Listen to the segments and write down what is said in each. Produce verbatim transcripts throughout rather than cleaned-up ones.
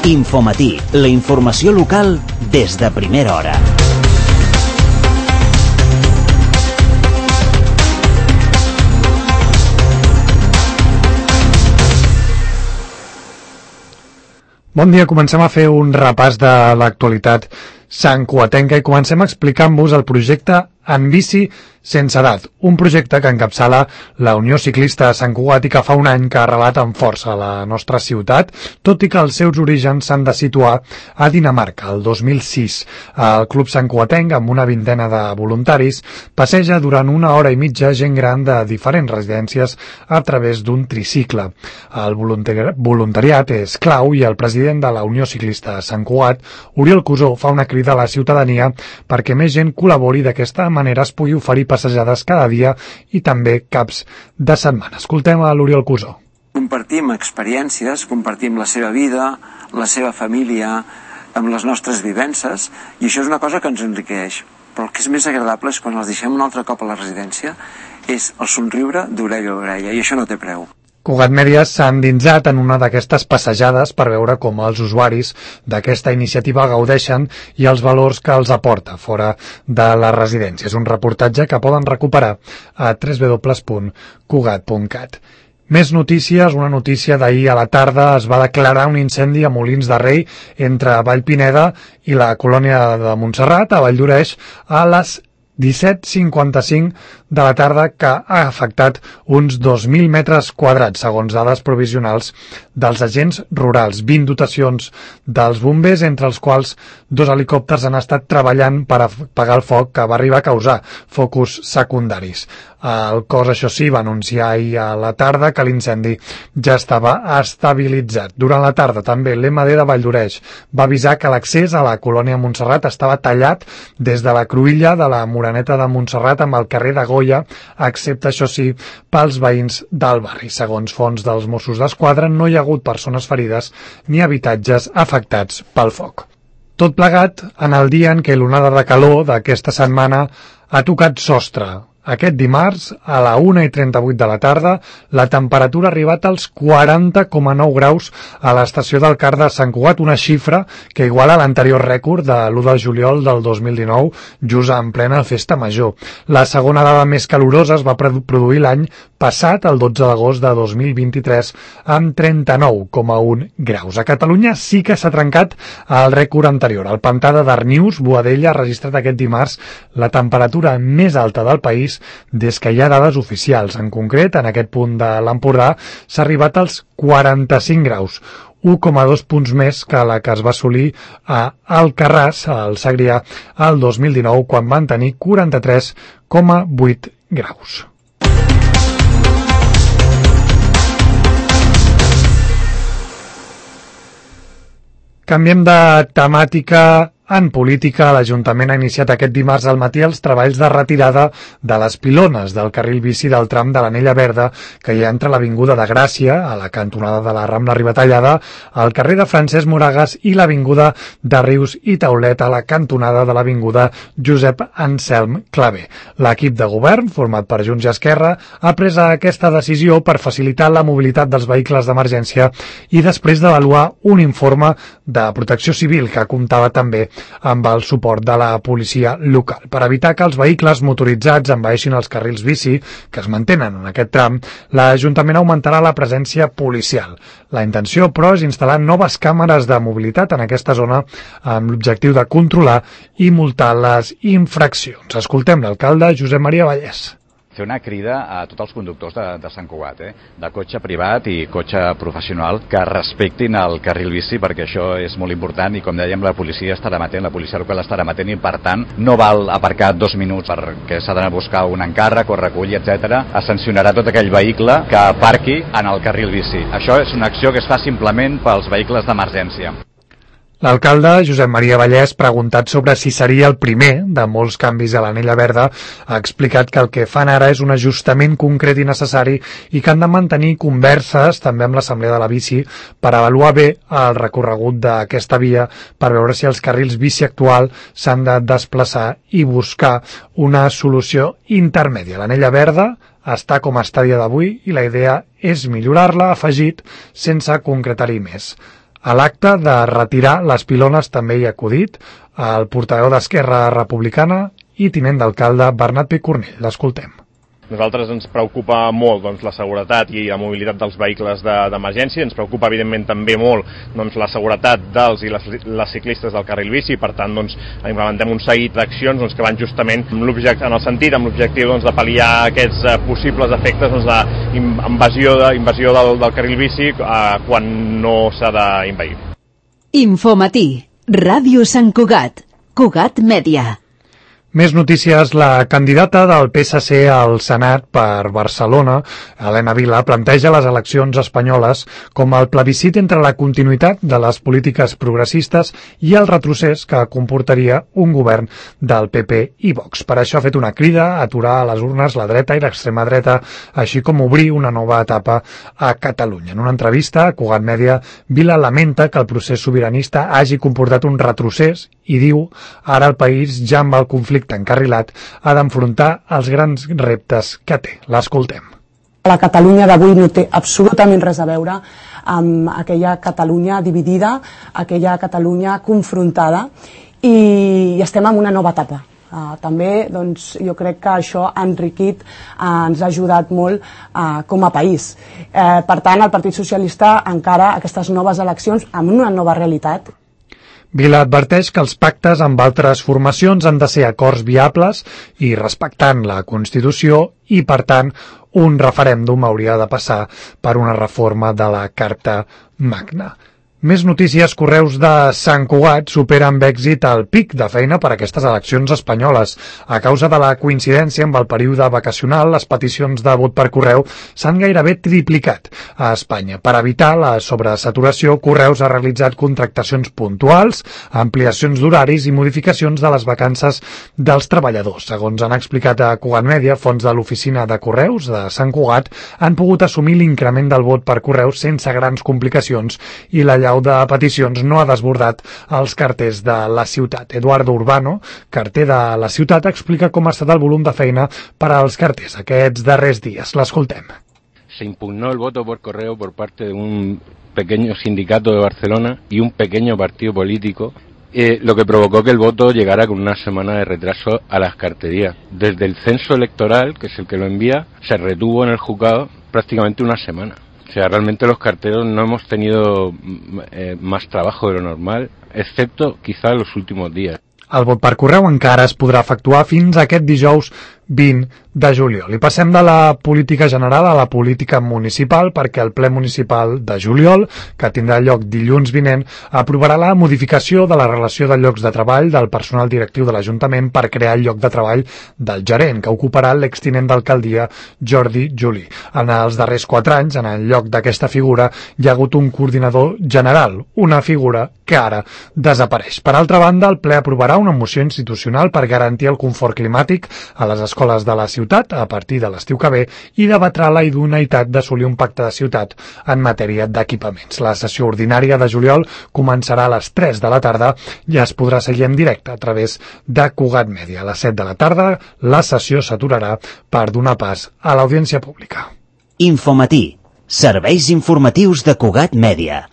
Infomatí, la informació local des de primera hora. Bon dia, comencem a fer un repàs de l'actualitat santcugatenca i comencem explicant-vos el projecte En bici sense edat, un projecte que encapçala la Unió Ciclista de Sant Cugat i que fa un any que ha arrelat amb força a la nostra ciutat, tot i que els seus orígens s'han de situar a Dinamarca, el dos mil sis. El Club Santcugatenc, amb una vintena de voluntaris, passeja durant una hora i mitja gent gran de diferents residències a través d'un tricicle. El voluntari- voluntariat és clau i el president de la Unió Ciclista de Sant Cugat, Oriol Cusó, fa una crida a la ciutadania perquè més gent col·labori d'aquesta manera es pugui oferir passejades cada dia i també caps de setmana. Escoltem a l'Oriol Cusó. Compartim experiències, compartim la seva vida, la seva família, amb les nostres vivències, i això és una cosa que ens enriqueix. Però el que és més agradable és quan els deixem un altre cop a la residència, és el somriure d'orella a orella, i això no té preu. Cugat Mèdia s'ha endinsat en una d'aquestes passejades per veure com els usuaris d'aquesta iniciativa gaudeixen i els valors que els aporta fora de la residència. És un reportatge que poden recuperar a w w w punt cugat punt cat. Més notícies. Una notícia d'ahir a la tarda: es va declarar un incendi a Molins de Rei entre Vallpineda i la colònia de Montserrat, a Valldoreix, a les disset cinquanta-cinc de la tarda, que ha afectat uns dos mil metres quadrats, segons dades provisionals dels agents rurals. vint dotacions dels bombers, entre els quals dos helicòpters han estat treballant per apagar el foc que va arribar a causar focus secundaris. El cos, això sí, va anunciar ahir a la tarda que l'incendi ja estava estabilitzat. Durant la tarda també l'M D de Valldoreix va avisar que l'accés a la colònia Montserrat estava tallat des de la cruïlla de la Moreneta de Montserrat amb el carrer de Goya, excepte, això sí, pels veïns del barri. Segons fonts dels Mossos d'Esquadra, no hi ha hagut persones ferides ni habitatges afectats pel foc. Tot plegat en el dia en què l'onada de calor d'aquesta setmana ha tocat sostre. Aquest dimarts, a la una i trenta-vuit de la tarda, la temperatura ha arribat als quaranta coma nou graus a l'estació del Car de Sant Cugat, una xifra que iguala l'anterior rècord de l'u de juliol del dos mil dinou, just en plena festa major. La segona dada més calorosa es va produir l'any passat, el dotze d'agost de dos mil vint-i-tres, amb trenta-nou coma un graus. A Catalunya sí que s'ha trencat el rècord anterior. El pantà de Darnius, Boadella, ha registrat aquest dimarts la temperatura més alta del país des que hi ha dades oficials. En concret, en aquest punt de l'Empordà s'ha arribat als quaranta-cinc graus, un coma dos punts més que la que es va assolir a Alcarràs, al Segrià, el dos mil dinou, quan van tenir quaranta-tres coma vuit graus. Canviem de temàtica. En política, l'Ajuntament ha iniciat aquest dimarts al matí els treballs de retirada de les pilones del carril bici del tram de l'Anella Verda que hi ha entre l'Avinguda de Gràcia, a la cantonada de la Rambla Ribatallada, al carrer de Francesc Moragas i l'Avinguda de Rius i Taulet, a la cantonada de l'Avinguda Josep Anselm Clavé. L'equip de govern, format per Junts i Esquerra, ha pres aquesta decisió per facilitar la mobilitat dels vehicles d'emergència i després d'avaluar un informe de Protecció Civil que comptava també amb el suport de la policia local. Per evitar que els vehicles motoritzats envaeixin els carrils bici que es mantenen en aquest tram, l'Ajuntament augmentarà la presència policial. La intenció, però, és instal·lar noves càmeres de mobilitat en aquesta zona amb l'objectiu de controlar i multar les infraccions. Escoltem l'alcalde Josep Maria Vallès. Fer una crida a tots els conductors de, de Sant Cugat, eh? de cotxe privat i cotxe professional, que respectin el carril bici, perquè això és molt important i, com dèiem, la policia estarà amatent, la policia local estarà amatent i, per tant, no val aparcar dos minuts perquè s'ha d'anar a buscar un encàrrec o recull, etcètera. Es sancionarà tot aquell vehicle que aparqui en el carril bici. Això és una acció que es fa simplement pels vehicles d'emergència. L'alcalde, Josep Maria Vallès, preguntat sobre si seria el primer de molts canvis a l'Anella Verda, ha explicat que el que fan ara és un ajustament concret i necessari i que han de mantenir converses també amb l'Assemblea de la Bici per avaluar bé el recorregut d'aquesta via, per veure si els carrils bici actual s'han de desplaçar i buscar una solució intermèdia. L'Anella Verda està com està a dia d'avui i la idea és millorar-la, afegit, sense concretar-hi més. A l'acte de retirar les pilones també hi ha acudit el portaveu d'Esquerra Republicana i tinent d'alcalde Bernat Picornell. L'escoltem. Nosaltres ens preocupa molt doncs, la seguretat i la mobilitat dels vehicles d'emergència, de, ens preocupa evidentment també molt doncs, la seguretat dels i les, les ciclistes del carril bici, per tant doncs, implementem un seguit d'accions doncs, que van justament en, en el sentit, amb l'objectiu doncs, de pal·liar aquests eh, possibles efectes doncs, d'invasió de, invasió del, del carril bici eh, quan no s'ha d'invair. Infomatí, Ràdio Sant Cugat, Cugat Mèdia. Més notícies. La candidata del P S C al Senat per Barcelona, Helena Vila, planteja les eleccions espanyoles com el plebiscit entre la continuïtat de les polítiques progressistes i el retrocés que comportaria un govern del P P i Vox. Per això ha fet una crida a aturar a les urnes la dreta i l'extrema dreta, així com obrir una nova etapa a Catalunya. En una entrevista a Cugat Mèdia, Vila lamenta que el procés sobiranista hagi comportat un retrocés i diu ara el país ja amb el conflicte encarrilat ha d'enfrontar els grans reptes que té. L'escoltem. La Catalunya d'avui no té absolutament res a veure amb aquella Catalunya dividida, aquella Catalunya confrontada, i estem en una nova etapa. Uh, també doncs, jo crec que això ha enriquit, uh, ens ha ajudat molt uh, com a país. Uh, per tant, el Partit Socialista encara aquestes noves eleccions amb una nova realitat. Vila adverteix que els pactes amb altres formacions han de ser acords viables i respectant la Constitució i, per tant, un referèndum hauria de passar per una reforma de la Carta Magna. Més notícies. Correus de Sant Cugat supera amb èxit el pic de feina per a aquestes eleccions espanyoles. A causa de la coincidència amb el període vacacional, les peticions de vot per correu s'han gairebé triplicat a Espanya. Per evitar la sobresaturació, Correus ha realitzat contractacions puntuals, ampliacions d'horaris i modificacions de les vacances dels treballadors. Segons han explicat a Cugat Mèdia, fons de l'oficina de Correus de Sant Cugat han pogut assumir l'increment del vot per correu sense grans complicacions i la llau de peticions no ha desbordat els carters de la ciutat. Eduardo Urbano, carter de la ciutat, explica com ha estat el volum de feina per als carters aquests darrers dies. L'escoltem. Se impugnó el voto por correo por parte de un pequeño sindicato de Barcelona y un pequeño partido político, eh, lo que provocó que el voto llegara con una semana de retraso a las carterías. Desde el censo electoral, que es el que lo envía, se retuvo en el juzgado prácticamente una semana. O sea, realmente los carteros no hemos tenido eh, más trabajo de lo normal, excepto quizá en los últimos días. El vot per correu encara es podrà efectuar fins aquest dijous vint de juliol. I passem de la política general a la política municipal, perquè el ple municipal de juliol, que tindrà lloc dilluns vinent, aprovarà la modificació de la relació de llocs de treball del personal directiu de l'Ajuntament per crear el lloc de treball del gerent, que ocuparà l'extinent d'alcaldia Jordi Juli. En els darrers quatre anys, en el lloc d'aquesta figura, hi ha hagut un coordinador general, una figura que ara desapareix. Per altra banda, el ple aprovarà una moció institucional per garantir el confort climàtic a les escoles de la ciutat a partir de l'estiu que ve i debatrà la idoneïtat d'assolir un pacte de ciutat en matèria d'equipaments. La sessió ordinària de juliol començarà a les tres de la tarda i es podrà seguir en directe a través de Cugat Mèdia. A les set de la tarda la sessió s'aturarà per donar pas a l'audiència pública. Infomatí, serveis informatius de Cugat Mèdia.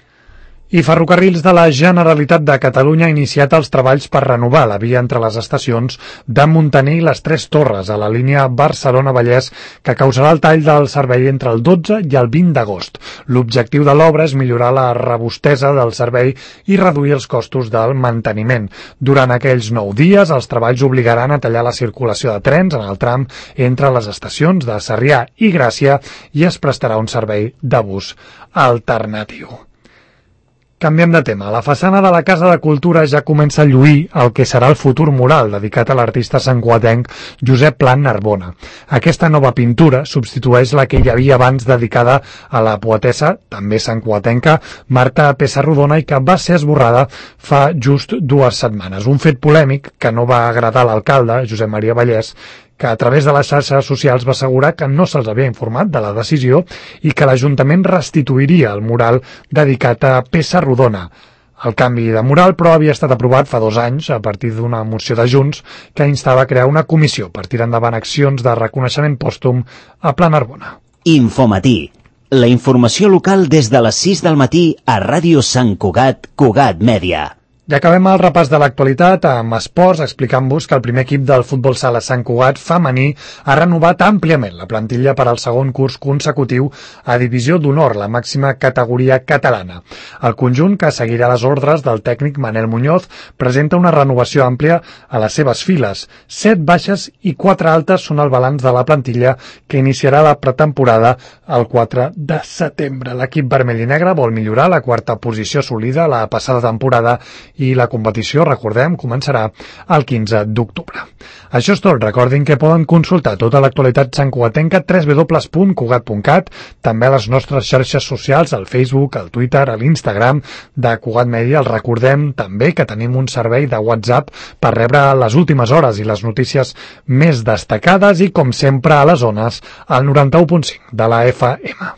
I Ferrocarrils de la Generalitat de Catalunya ha iniciat els treballs per renovar la via entre les estacions de Montaner i les Tres Torres a la línia Barcelona-Vallès, que causarà el tall del servei entre el dotze i el vint d'agost. L'objectiu de l'obra és millorar la robustesa del servei i reduir els costos del manteniment. Durant aquells nou dies, els treballs obligaran a tallar la circulació de trens en el tram entre les estacions de Sarrià i Gràcia i es prestarà un servei de bus alternatiu. Canviem de tema. La façana de la Casa de Cultura ja comença a lluir el que serà el futur mural dedicat a l'artista santcugatenc Josep Pla Narbona. Aquesta nova pintura substitueix la que hi havia abans dedicada a la poetessa, també santcugatenca, Marta Pessarrodona, i que va ser esborrada fa just dues setmanes. Un fet polèmic que no va agradar a l'alcalde, Josep Maria Vallès, que a través de les xarxes socials va assegurar que no se'ls havia informat de la decisió i que l'Ajuntament restituiria el mural dedicat a Pessarrodona. El canvi de mural, però, havia estat aprovat fa dos anys a partir d'una moció de Junts que instava a crear una comissió per tirar endavant accions de reconeixement pòstum a Pla Narbona. Infomatí, La informació local des de les sis del matí a Ràdio Sant Cugat, Cugat Mèdia. I acabem el repàs de l'actualitat amb esports, explicant-vos que el primer equip del futbol sala Sant Cugat femení ha renovat àmpliament la plantilla per al segon curs consecutiu a Divisió d'Honor, la màxima categoria catalana. El conjunt, que seguirà les ordres del tècnic Manel Muñoz, presenta una renovació àmplia a les seves files. Set baixes i quatre altes són el balanç de la plantilla que iniciarà la pretemporada el quatre de setembre. L'equip vermell i negre vol millorar la quarta posició assolida la passada temporada i la competició, recordem, començarà el quinze d'octubre. Això és tot. Recordin que poden consultar tota l'actualitat santcugatenca a w w w punt cugat punt cat, també a les nostres xarxes socials, al Facebook, al Twitter, a l'Instagram de Cugat Mèdia. Els recordem també que tenim un servei de WhatsApp per rebre les últimes hores i les notícies més destacades i, com sempre, a les zones, al noranta-u punt cinc de la F M.